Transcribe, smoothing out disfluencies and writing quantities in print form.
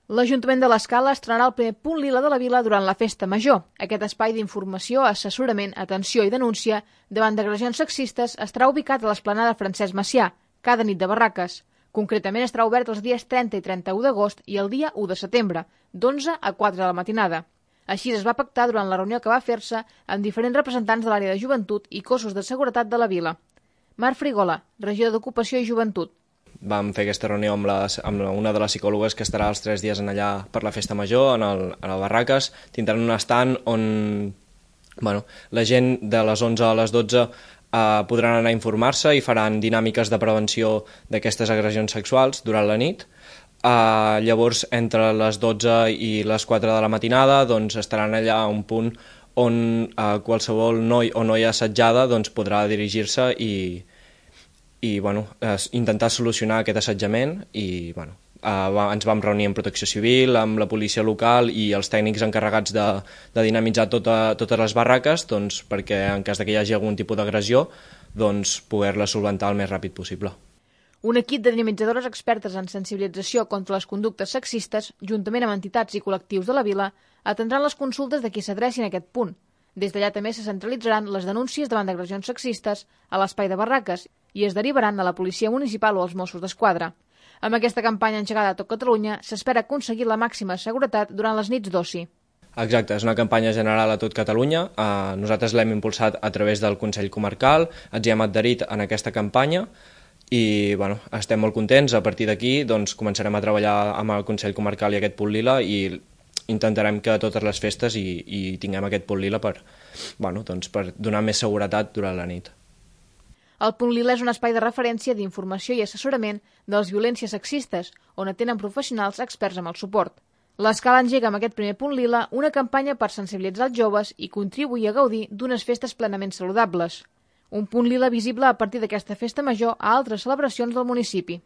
L'Ajuntament de l'Escala estrenarà el primer punt lila de la vila durant la Festa Major. Aquest espai d'informació, assessorament, atenció i denúncia davant d'agressions sexistes estarà ubicat a l'esplanada Francesc Macià, cada nit de barraques. Concretament estarà obert els dies 30 i 31 d'agost i el dia 1 de setembre, d'11 a 4 de la matinada. Així es va pactar durant la reunió que va fer-se amb diferents representants de l'àrea de joventut i cossos de seguretat de la vila. Marc Frigola, regidor d'Ocupació i Joventut. Vam fer aquesta reunió amb una de les psicòlogues que estarà els 3 dies allà per la Festa Major, a les barraques. Tindran un estand on la gent de les 11 a les 12 podran anar a informar-se i faran dinàmiques de prevenció d'aquestes agressions sexuals durant la nit. Llavors, entre les 12 i les 4 de la matinada estaran allà a un punt on qualsevol noi o noia assetjada podrà dirigir-se i intentar solucionar aquest assetjament. I ens vam reunir amb Protecció Civil, amb la policia local i els tècnics encarregats de dinamitzar totes les barraques perquè en cas que hi hagi algun tipus d'agressió poder-la solventar el més ràpid possible. Un equip de dinamitzadores expertes en sensibilització contra les conductes sexistes, juntament amb entitats i col·lectius de la vila, atendran les consultes de qui s'adrecin a aquest punt. Des d'allà també se centralitzaran les denúncies davant d'agressions sexistes a l'espai de barraques i es derivaran a la policia municipal o als Mossos d'Esquadra. Amb aquesta campanya engegada a tot Catalunya s'espera aconseguir la màxima seguretat durant les nits d'oci. Exacte, és una campanya general a tot Catalunya. Nosaltres l'hem impulsat a través del Consell Comarcal, ens hi hem adherit en aquesta campanya i estem molt contents. A partir d'aquí començarem a treballar amb el Consell Comarcal i aquest punt lila i intentarem que a totes les festes hi tinguem aquest punt lila per donar més seguretat durant la nit. El punt lila és un espai de referència d'informació i assessorament de les violències sexistes, on atenen professionals experts amb el suport. L'Escala engega amb aquest primer punt lila una campanya per sensibilitzar els joves i contribuir a gaudir d'unes festes plenament saludables. Un punt lila visible a partir d'aquesta festa major a altres celebracions del municipi.